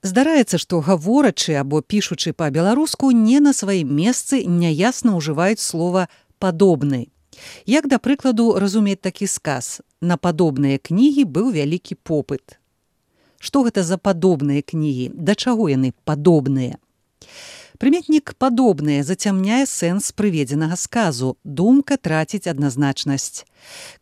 Здараецца, што гаворачы або пішучы па-беларуску не на сваім месцы няясна ўжываюць слова «падобны». Як, да прыкладу, разумець такі сказ: «На падобныя кнігі быў вялікі попыт». Што гэта за падобныя кнігі? Да чаго яны падобныя? Прыметнік «падобныя» зацямняе сэнс прыведзенага сказу, думка траціць адназначнасць.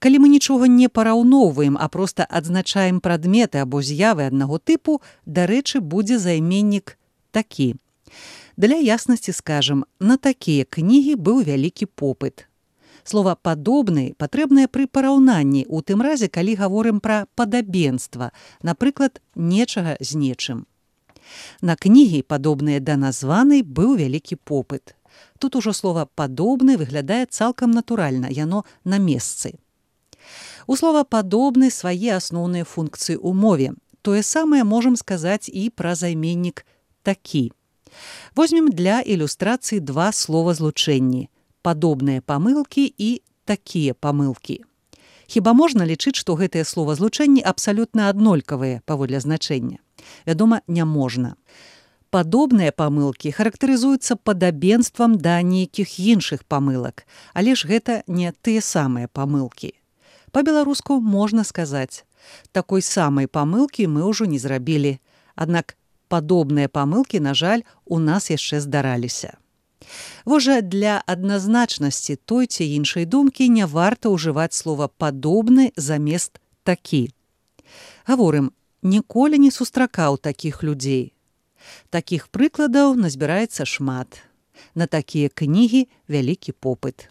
Калі мы нічога не параўноўваем, а проста адзначаем прадметы або з'явы аднаго тыпу, дарэчы, будзе займеннік «такі». Для яснасці скажам, на такія кнігі быў вялікі попыт. Слова «падобны» патрэбнае пры параўнанні, у тым разе, калі гаворым пра падабенства, напрыклад, нечага з нечым. На кнігі, падобныя да названай, быў вялікі попыт. Тут ужо слова «падобны» выглядае цалкам натуральна, яно на месцы. У слова «падобны» свае асноўныя функцыі ў мове. Тое самае можам сказаць і пра займеннік «такі». Возьмем для ілюстрацыі два словазлучэнні – падобныя памылкі і такія памылкі. Хіба можна лічыць, што гэтыя словазлучэнні абсалютна аднолькавыя паводле значэння? Вядома, не можна. Падобныя памылкі характарызуюцца падабенствам да нейкіх іншых памылак, але ж гэта не тыя самыя памылкі. Па-беларуску можна сказаць: такой самай памылкі мы ўжо не зрабілі, аднак падобныя памылкі, на жаль, у нас яшчэ здараліся. Вось жа для адназначнасці той ці іншай думкі не варта ўжываць слова «падобны» замест «такі». Гаворым, ніколі не сустракаў такіх людзей. Такіх прыкладаў назбіраецца шмат. На такія кнігі вялікі попыт.